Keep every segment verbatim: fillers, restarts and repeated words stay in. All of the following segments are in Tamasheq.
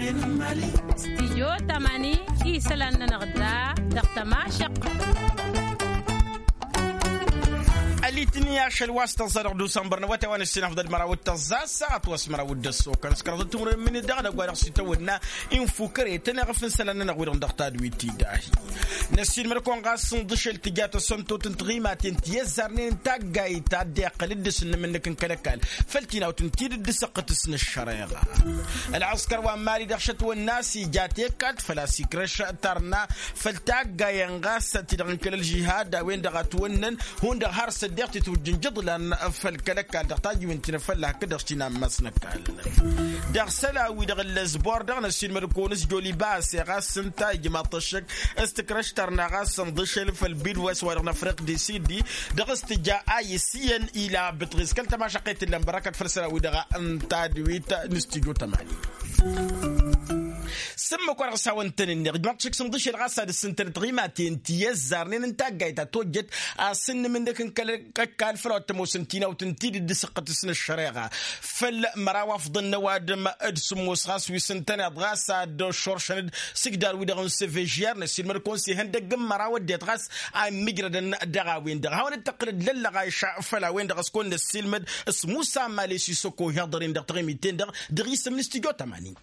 Stijyo tămani isălan-nănăɣ da dăɣ-tămašăq. Ălitni ašăl wa s-tăẓẓa dăɣ-dusănbăr n-awătay wa n-ǝssin afḍăl măraw d-tăẓẓa s-săɣăt wa s-măraw d-ăssokan s-kăraḍăt timǝrwen minni dăɣ-năgg wa dăɣ-s itawănna. Infu kăre-tăn iɣăf n-isălan-nănăɣ wi-dăɣ dăɣ-tadwit ti dahi. Năssiin mălkăwăn ɣas n-iḍǝšel tǝja tăsăntot n-tiɣimaten ti ăzzarnen n-taggayt ta dd-iqqăl d-dăr-s n-inǝmǝnnǝk n-kăl-ăkall făll-tinawt n-tidǝt d-săqqǝtǝs n-ăššăreɣa. Ălɣăskăr wa n-mali dăɣ-šătwănna a-s ija tekat făl-a-s ikrăš tarna făll-taggayen ɣas ti-dăɣ n-kăl-ălžihad a-wen-dăɣ a ătwănnăn hundăɣ har s-ăddiɣ titwǝjj n-ijǝḍlan făll-kăl-ăkall dăɣ-tajǝwen ti n-afălla hakd-dăɣ s-tinammas n-ăkall. Dăɣ-isălan-wi-dăɣ ǝllăs bor-dăɣ năssiilmăd-kăwăn s-joli base ɣas ǝnta ijmaḍ-t ăššăk s-tikrăš tarna ɣas ǝnḍǝšăl făll-bidwes wa dăɣ-năfriq disidi dăɣ-s tǝja a isiyăn ila bǝtɣis kăl-tămašăqqet ǝllan bărăkăt făll-isălan-wi-dăɣ n-tadwit n-stujo tămani. S-ǝmmǝk wa dăɣ-s hawăn-tăn-ǝnneɣ ǝjmaḍ-t šik s-ǝnḍǝšel ɣas ad-ǝssǝntănăt tiɣimaten ti ăzzarnen n-taggayt ta tojjăt asǝnnǝm-nǝk n-kăl-ăkall făll-a-wa t-ămoosăn tinawt n-tidǝt d-săqqătǝs n-ăššăreɣa. Făll-măraw afḍăn n-ăwadǝm d-sǝmmos ɣas wi s-ǝntăneḍ ɣas ad-ăššoršăn-dd s-ǝjdar-wi-dăɣ n-sevežer năssiilmăd-kăwăn s-ihăndăgg n-măraw ăddinăt ɣas a immǝjrădăn dăɣ-a-wen-dăɣ hawăn-dd-tăqqǝlăd lăllăɣayša. Făll-a-wen-dăɣ s-kăwăn-năssiilmăd s-musa mali s-isoko ihiḍăr-in dăɣ-taɣimit-ten-dăɣ dăɣ-isǝm n-stujo tămani.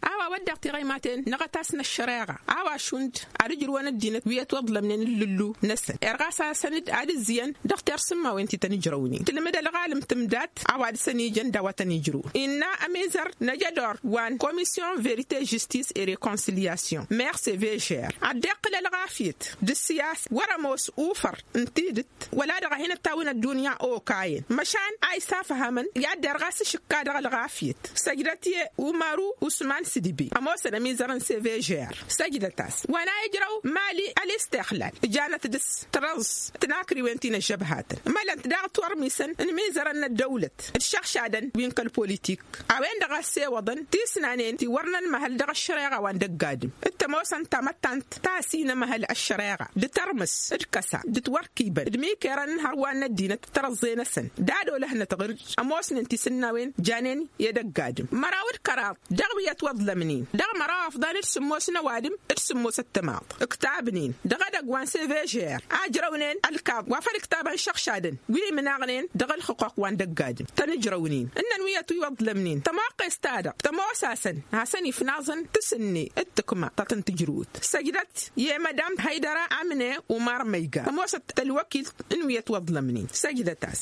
A-wa wădden tiɣăymaten năɣăt-asăn ăššăreɣa a-wa šund ad-ǝjrǝwăn ăddinăt wi ătwăḍlămnen ǝllǝllu-năsăn irɣas-asăn-dd ad-ǝzzǝyăn dăɣ-tersǝmmawen ti tăn-ǝjrăwnen tǝlmǝd ălɣalăm tǝmdat a-wa dăɣ-săn ijăn d-a-wa tăn-ijrǝwăn innă ămizăr n-ajădor wa n-komisyon verite žistis e rekonsilyasyon merse vežer ad-dd-iqqǝl ălɣafyăt d-ǝssiyas wăr-ămoos ufăr n-tidǝt wăla dăɣ-a hin-ăttawăn ăddunya okayăn măšan a isafhămăn i-ad-derɣ a-s ǝšǝkka dăɣ-ălɣafyăt. Săjdăt i-umaru usman s-dibi ămoosăn ămizăr n-sevežer săjdăt-as wa n-a ijrăw mali ălistixlal ǝjanăt dăr-s tărăẓ tinakriwen ti n-ăžžăbhatăn mălăn-t daɣ tiwărmisăn n-imizărăn n-ăddăwlăt d-išăɣšadăn wi n-kăl-politik a-wen-dăɣ a ăssewăḍăn tisnanen ti wăr nănmăhăl dăɣ-ăššăreɣa wa n-dăgg-adǝm d-tămoosăn tamăttant ta ăsinămăhăl ăššăreɣa d-tărmǝs d-kăsa d-tiwărkibăn d-imikerăn n-hărwan n-ăddinăt d-tărăẓẓe-năsăn d-ad-olăhnăt ɣǝrj ămoosnen tisǝnnawen janen i-edăgg-adǝm măraw d-kăraḍ dăɣ-wi ătwăḍlămnen dăɣ-măraw afḍăn d-sǝmmos n-ăwadǝm d-sǝmmos ăttămaḍ ǝktabnen dăɣ-edăgg wa n-sevežer a ǝjrăwnen ălkaḍ wa făll-ǝktabăn šăɣšadăn wi imnaɣnen dăɣ-ălxǝquq wa n-dăgg-adǝm tăn-ǝjrăwnen ǝnnăn wi ătwăḍlămnen tămoqqes-ta-dăɣ tămoos-asăn hasăn-ifnaẓăn tasǝnne d-tǝkma ta tăn-tǝjrǝwăt săjdăt i-mădam hăydăra amǝne umar măyga ămoosăt tălwăkilt n-wi ătwăḍlămnen săjdăt-as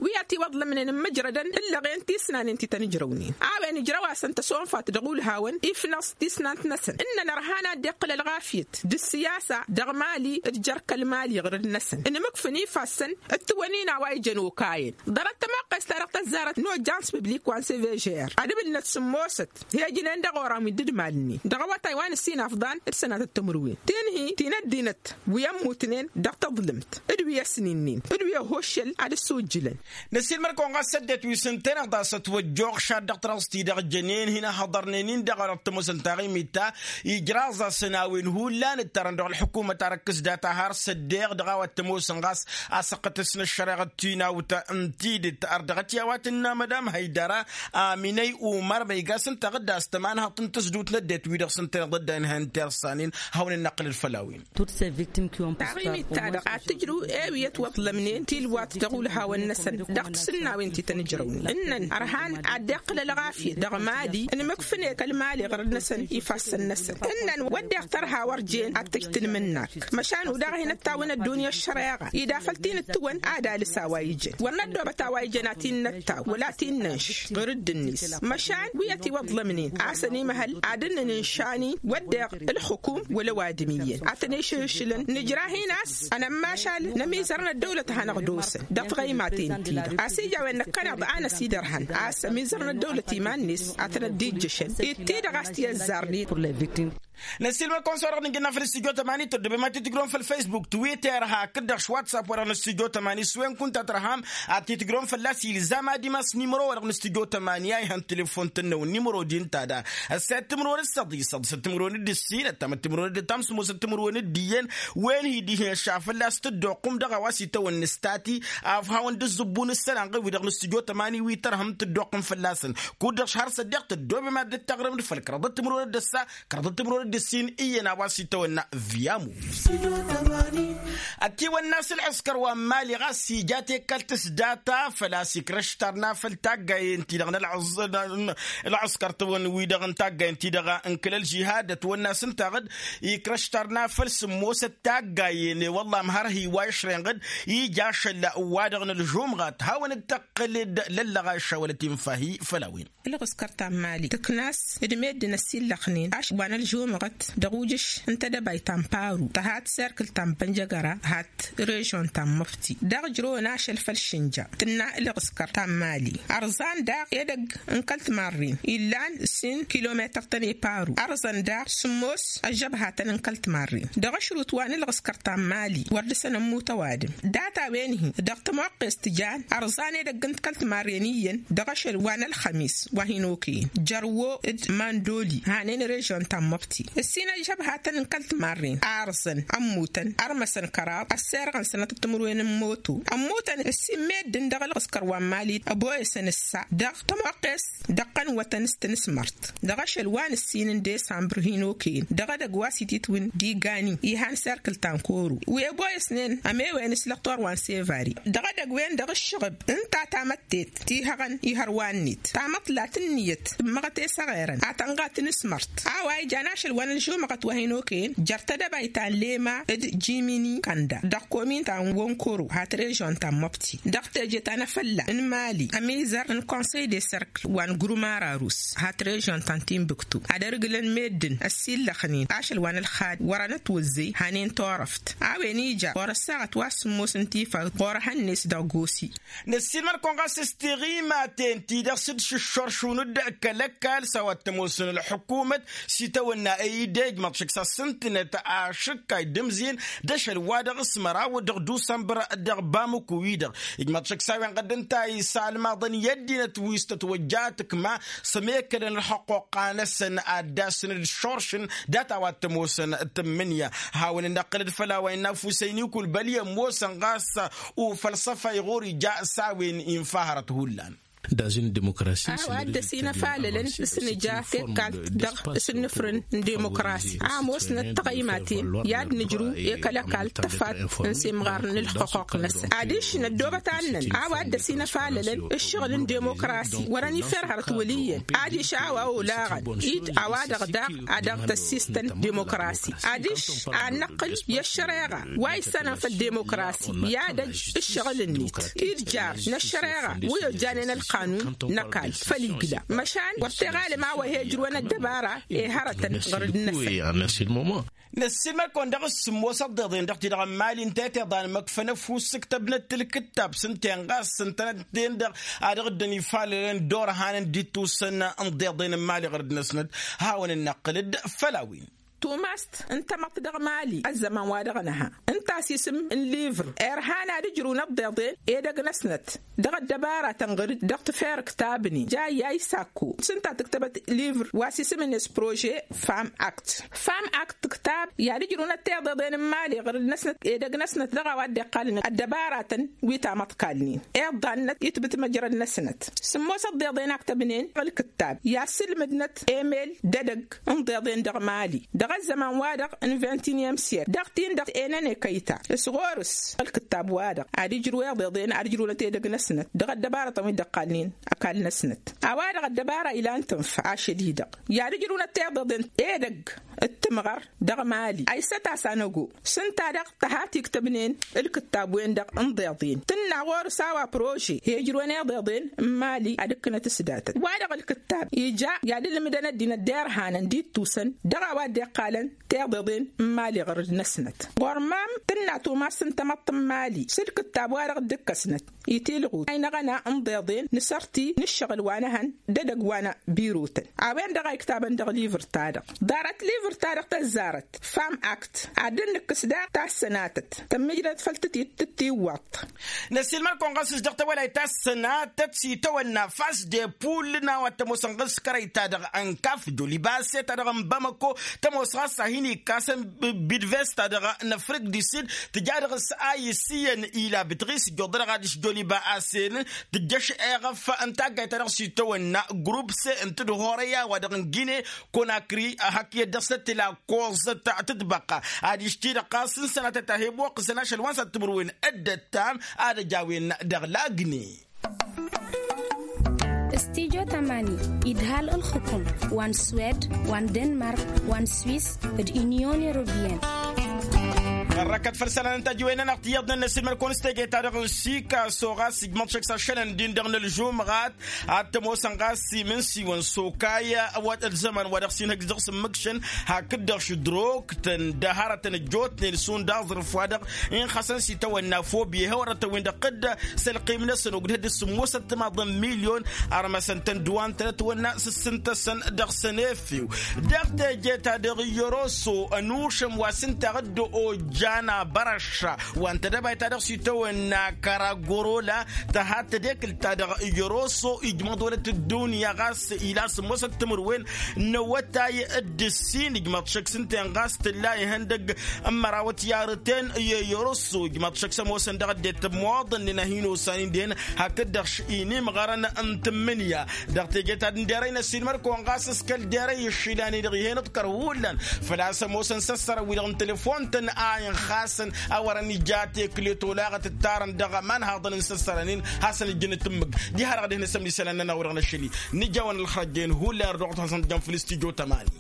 wi ătiwăḍlămnen ǝmmǝjrădăn ǝllăɣen tisnanen ti tăn-ǝjrăwnen a-wen ǝjrăw-asăn tăsonfat dăɣ-ulhawăn ifnăẓ tisnant-năsăn ǝnnăn ărhan ad-dd-iqqǝl ălɣafyăt d-ǝssiyasa dăɣ-mali d-jer-kăl-mali ɣǝrǝd-năsăn ǝnmǝkfǝn ifassăn d-tiwănin a-wa ijăn okayăn ḍarăt tămoqqes-ta-dăɣ tăzzarăt n-ojjans piblik wa n-sevežer ad-ǝbǝlnăt sǝmmosăt hejnen dăɣ-oran wi dd-malnen dăɣ-awătay wa n-ǝssin afḍan d-sănatăt timǝrwen tinhi ti n-ăddinăt wi ămmutnen dăɣ-taḍlǝmt d-wi ăsninen d-wi ăhoššăl ad-ăssujjǝlăn. Năsiilmăr-kăwăn ɣas ăddinăt wi s-ǝntăneḍ a-s ătwăjjoɣ šad dăɣ-tărăẓt-i-dăɣ jănen hin-ăhhăḍărnen-in dăɣ-orăt tămoosăn taɣimit ta ijraẓ-asăn a-wen hullan ǝttarăn dăɣ-ălḥukumăt arăkkǝs data har s-ăddeɣ dăɣ-a-wa t-ămoosăn ɣas asăqqătăs n-ăššăreɣăt tinawt n-tidǝt ar dăɣ-t i-a-wa tǝnna mădam hăydăra aminăy umăr ma iga s-ǝnta ɣǝdda a-s tămanhăḍt n-tǝzdut n-ăddinăt wi-dăɣ s-ǝntăneḍ ădday n-hen tersanen hawăn-ănnăqqǝlăl făll-a-wen. Taɣimit-ta-dăɣ ad-tǝjrǝw ewi ătwăḍlămnen tilwat dăɣ-ulhawăn-năsăn dăɣ-tisǝnnawen ti tăn-ǝjrăwnen ǝnnăn ărhan ad-dd-iqqǝl ălɣafyăt dăɣ-mali ǝnmǝkfǝne kăl-mali ɣărăd-năsăn ifassăn-năsăn ǝnnăn wădden tărha wăr jen ad-tǝj tǝnmǝnnak măšan udaɣ hin-ăttawăn ăddunya ăššăreɣa ida făl ti n-ǝttǝwăn ad-alǝs a-wa ijăn wăr năddoobăt a-wa ijăn ad-t-in-năttaw wăla t-in-nănš ɣǝr-dd-net măšan wi ătiwăḍlămnen a-s ănimăhăl ad-dd-nǝnǝnšan-in wădden ǝlxǝkum wăla ăwadǝm iyyăn ad-tăn-išǝhǝšǝlăn nǝjrahin a-s ănămmašal n-ămizăr n-ăddăwlăt a hanăɣ-dd-osăn dăɣ-tiɣăymaten-ti-dăɣ a-s ija a-wen năkkăneḍ a năsidărhăn a-s ămizăr n-ăddăwlăt iman-net ad-tăn-ăddijjăšăn d-ti-dăɣ a-s ti-ăzzarnen. Năssiilmăd-kăwăn s-wa-dăɣ nǝnjănna făll-studyo tămani tăddoobem ad-t-tǝjrăwăm făll-facebook twitter hakd-dăɣ s-whatsapp-wa-dăɣ n-studyo tămani s-wen kunta tărham ad-t-tǝjrăwăm fălla-s ilzam ad-imas nimăro wa-dăɣ n-studyo tămani a ihăn telefon-tăn-năwăn nimăro di ǝnta da ăssayăt timǝrwen d-săḍi săḍisăt timǝrwen d-ǝssin ăttamăt timǝrwen d-tamsǝmosăt timǝrwen d-iyyăn. Wen hi-dihen šafălla s-tǝddoqqǝm dăɣ-a-wa s-itawănna s-tati afhawăn d-ǝzzǝbbu n-ǝssălan ɣǝwi-dăɣ n-studyo tămani wi tărhăm tǝddoqqǝm fălla-săn. Kud-dăɣ šhăr s-ăddiɣ tăddoobem ad-dd-taɣrǝm d-făll-kăraḍăt timǝrwen d-ăssa kăraḍăt timǝrwen d-ǝssin iyyăn a-wa s-itawănna. Vyamu ătiwănna s-ǝlɣǝskăr wa n-mali ɣas ija tekkălt s-data făl-a-s ikrăš tarna făll-taggayen-ti-dăɣ n-ălɣǝskăr-tăwăn-wi-dăɣ n-taggayen-ti-dăɣ n-kăl-ălžihad ătwănna s-ǝnta ɣǝd ikrăš tarna făll-sǝmmosăt taggayen i-wălla ămhărhi wa išrăyăn ɣǝd ija ašăl wa-dăɣ n-ălžumɣat hawăn-dd-tăqqǝl d-lăllăɣ a išawălăt infa-hi făll-a-wen. Ǝlɣǝskăr ta n-mali tǝknas d-meddǝn ăsillăxnen ašăl wa n-ălžumɣăt dăɣ-ujǝš n-tedăbayt ta n-paru tăhat serkǝl ta n-bănjăgăra hat režon ta n-măfti dăɣ-ǝjrăwăn ašăl făll-šǝnja. Tǝnna ǝlɣǝskăr ta n-mali ărẓan daɣ edăgg n-kăl-timarren illan ǝssin kilometăr-tăn i-paru ărẓăn daɣ sǝmmos ăžžăbhatăn n-kăl-timarren dăɣ-ašrut wa n-ǝlɣǝskăr ta n-mali wăr dăr-săn ămmut ăwadǝm. Data-wen-hi dăɣ-tămoqqest jan ărẓan edăgg n-kăl-timarren iyyăn dăɣ-ašăl wa n-ălxămis wa hin-okăyăn jărwo d-mandoli hanen režon ta n-măbti ǝssin ăžžăbhatăn n-kăl-timarren a ărẓăn ămmutăn ărmăsăn kăraḍ ăsserɣăn sănătăt timǝrwen n-moto ămmutăn ǝssin meddǝn dăɣ-ălɣǝskăr wa n-mali ăboyăsăn ǝssa dăɣ-tămoqqes dăɣ-tăn wătăn s-tǝnǝsmărt dăɣ-ašăl wa n-ǝssin n-desambăr hin-okăyăn dăɣ-edăgg wa s-ititwǝn d-igani ihan serkǝl ta n-koro wi ăboyăsnen ămewen s-lăxtor wa n-sevari dăɣ-edăgg-wen-dăɣ ǝššăɣǝb ǝnta tamăttet ti hăɣăn ihăr wa-net tamăḍt la tǝnniyăt tǝmmăɣăt i-săɣerăn ad-tănɣa tǝnǝsmărt a-wa ijan ašăl wa n-ălžumăɣăt wa hin-okăyăn jer-tedăbayt ta n-lema d-jimini kănda dăɣ-komin ta n-wănkoro hat režon ta n-măbti dăɣ-teje ta n-afălla n-mali ămizăr n-konsăy de sărk wa n-grumara rus hat režon ta n-timbuktu ad-ărǝglăn meddǝn ăssillăxnen ašăl wa n-ălxad wăr-ănătwăzzăy hanen turăft a-wen ija ɣur-ăssaɣăt wa s-sǝmmos n-tifăɣt ɣur-ehăn-net dăɣ-gosi. Năssiilmăd-kăwăn ɣas s-tiɣimaten-ti-dăɣ s-dd-šǝššoršun-dd kăl-ăkall s-a-wa t-ămoosăn ălḥukumăt s-itawănna ăydej măḍšǝk s-asǝntǝnăt ašǝkkay d-ǝmzin d-ašăl wa dăɣ-s măraw dăɣ-dusămbăr dăɣ-bamǝku-wi-dăɣ ijmăḍ šăksawen ɣădd ǝnta isalmaḍăn i-ăddinăt wi s-tătwăjja tǝkma s-ămekălăn ălxăqquqqa-năsăn ad-dd-asǝn d-šoršǝn data wa t-ămoosăn tǝmmǝnǝya. Hawăn-dd-năqqǝl d-făll-a-wa innă ăfusăynikul băl i-ămoosăn ɣas ufălsăfay ɣur-ija s-a-wen infa hărăt hullan. A-wa dd-ăsinăfalălăn s-nǝja tekkalt dăɣ-s ǝnnǝfrǝn n-demokrasi a ămoosnăt tăɣăymaten i-ad-nǝjrǝw i-kăl-ăkall tăfat n-semɣar n-ǝlxăqquq-năsăn adiš năddoobăt annăn a-wa dd-ăsinăfalălăn ǝššăɣǝl n-demokrasi wăr-ăniffer hărăt wăl' iyyăn adiš a-wa olaɣăn-dd a-wa-dăɣ daɣ a dăɣ-tăssistăn demokrasi adiš ad-năqqǝl i-ăššăreɣa wa issănăn făll-demokrasi i-ad-ăj ǝššăɣǝl-net-i d-jar n-ăššăreɣa wi ojjanen ălqanun n-ăkall făll-igla măšan wăr t-iɣalăm a-wa he-ǝjrǝwăn ăddăbara i-hărătăn ɣur-dd-năsăn. Năssiilmăd-kăwăn dăɣ-s sǝmmos ăḍḍeḍen dăɣ-ti-dăɣ n-mali ǝnta i-tiḍa n-imăkfăn ăfuss ǝktăbnăt tǝlkǝttab s-ǝnta-en ɣas ǝntănăt-ten-dăɣ a dăɣ-dd-ănifalălăn d-orhanăn d-ittusăn n-iḍeḍen n-mali ɣur-dd-năsnăt. Hawăn-dd-năqqǝl-dd făll-a-wen. Tumast n-tamăḍt dăɣ-mali ăzzăman wa dăɣ-nǝha ǝnta a-s isǝm n-livr irhan ad-ǝjrǝw n-ăḍḍeḍen edăgg-năsnăt dăɣ-ăddăbaratăn ɣǝr-dd dăɣ-tǝfer ǝktabnen ja iyya isakko s-ǝnta tǝktăbăt livr wa s-isǝm-net prože fam akt. Fam akt tǝktab i-ad-ǝjrǝwnăt tiḍeḍen n-imali ɣǝr-dd-năsnăt edăgg-năsnăt dăɣ-a-wa dd-iqqalăn ăddăbaratăn wi tamăḍkalnen iḍḍa-năt itbǝt măjrăd-năsnăt. Sǝmmos ăḍḍeḍen a ǝktăbnen ălkǝttab i-ad-sǝlmǝdnăt emel d-edăgg n-iḍeḍen dăɣ-mali dăɣ-ăzzăman-wa-dăɣ n-vintiniyăm siyek dăɣ-tin-dăɣ enăn ekăyta s-ɣur-s ălkǝttab-wa-dăɣ ad-ǝjrǝw iḍeḍen ad-ǝjrǝwnăt edăgg-năsnăt dăɣ-ăddăbarătăn wi dd-ăqqalnen ăkall-năsnăt. A-wa-dăɣ ăddăbara ilan tǝnfa ašăl-i-dăɣ i-ad-ǝjrǝwnăt tiḍeḍen edăgg d-timɣăr dăɣ-mali a issăt a-s anăgo s-ǝnta-dăɣ tăha tiktăbnen ǝlkǝttab-wen-dăɣ n-iḍeḍen tǝnna ɣur-s a-wa prože he-ǝjrǝwăn iḍeḍen n-mali ad-ǝkkǝnăt s-datăt wa-dăɣ ǝlkǝttab ija i-ad-ǝlmǝdăn ăddinăt d-irhanăn d-ittusăn dăɣ-a-wa dd-iqqalăn tiḍeḍen n-mali ɣur-dd-năsnăt. Ɣur-măm tǝnna tumast n-tamăḍt n-mali s-ǝlkǝttab wa-dăɣ dd-ǝkkăsnăt itilɣut a inăɣăna n-iḍeḍen n-asărti n-ǝššăɣǝl wa n-ehăn d-edăgg wa n-birotăn a-wen-dăɣ a iktabăn dăɣ-livr-ta-dăɣ ḍarăt livr. ta-dăɣ tăzzarăt fam akt ad-dd-nǝkkǝs daɣ tassănatăt tămmijrăt făll-tǝtit tǝttiwwaḍt. Năsiilmăr-kăwăn ɣas s-dăɣ tawălayt tassănatăt s-itawănna fas de pull n-a-wa t-ămoosăn ɣǝskărăy-ta-dăɣ n-kaf joliba ase-ta-dăɣ n-bamăko tămoos ɣas a hin-ikkasăn bidves-ta-dăɣ n-afrik du sid tǝja dăɣ-s a isǝyyăn ila bǝtɣis ijjoḍ-dăɣ ad-ǝšjoliba ase-nǝn tǝjjăš eɣăf n-taggayt-ta-dăɣ s-itawănna grup se n-tǝdhorăy a-wa-dăɣ n-gine konakri hak iyyăt dăɣ-s ăttila koẓăt tǝtbăqqa ad-išti-dăɣ ɣas n-sănatăt a he-ămoqqǝsăn ašăl wa n-săt timǝrwen dd-ăttam ad-ăj a-wen dăɣ-lagni. Stijo tamani idhal ǝlxǝkum wa n-swed wa n-denmark wa n-swis d-inyon europiyăn. Ărrăkăt făll-isălan n-tajǝwen-nănăɣ tiyyăḍnen n-ăssilmăd-kăwăn s-teje-ta-dăɣ n-sikaso ɣas ijmăḍ šăkk s-ašălăn din dăɣ-nălžumɣat ad-t-ămoosăn ɣas imǝnsiwăn s-okayya ăwwăt ălzăman wa dăɣ-s inhăjj dăɣ-s ǝmmǝkšăn hakd-dăɣ šǝdroktăn d-hărătăn ăjjootnen šund aẓrǝf wa dăɣ-inxăsăn s-itawănna fobye hewărătăn-win-dăɣ tădd s-ălqim-năsăn ogdăd d-sǝmmosăt timaḍăn milyon. Ărmăsăn-tăn d-wa n-tănătwănna s-ǝssǝntăsăn dăɣ-săn efew dăɣ-teje-ta-dăɣ i-oroso ănušăm wa s-ǝnta dd-ojjan abărăšša wa n-tedăbayt-ta-dăɣ s-itawănna kăragorola tăhat tedekǝlt-ta-dăɣ i-oroso ijmăḍ wălăt ăddunya ɣas ila sǝmmosăt timǝrwen n-awătay d-ǝssin ijmăḍ šăkk s-ǝnta-en ɣas tǝlla ihăndăgg n-măraw ătyarăten i-oroso ijmăḍ šăkk s-ămoosăn dăɣ-ăddinăt ămmoḍăn-nin a hin-osan-in dihen hakd-dăɣ inimɣărăn n-tǝmmǝnǝya dăɣ-teje ta d-ǝnderăy n-ăssiilmăd-kăwăn ɣas s-kăl-derăy ǝššǝlan-i-dăɣ ih'-en ǝḍkăr hullan făl-a-s ămoosăn s-ăssărăn wi-dăɣ n-telefon-tăn a inxasăn a wărăn ija tekle tolaɣăt ǝttarăn dăɣ-imanhaḍăn n-săssărăn-in hasăn-ǝjjǝn tǝmmǝg. Diha-dăɣ ad-dd-hin-ăsămni isălan-nănăɣ wi-dăɣ n-ašăl-i nǝjawăn ălxărăjjen hullan ărdăɣăt hasăn-t jăn făll-stujo tămani.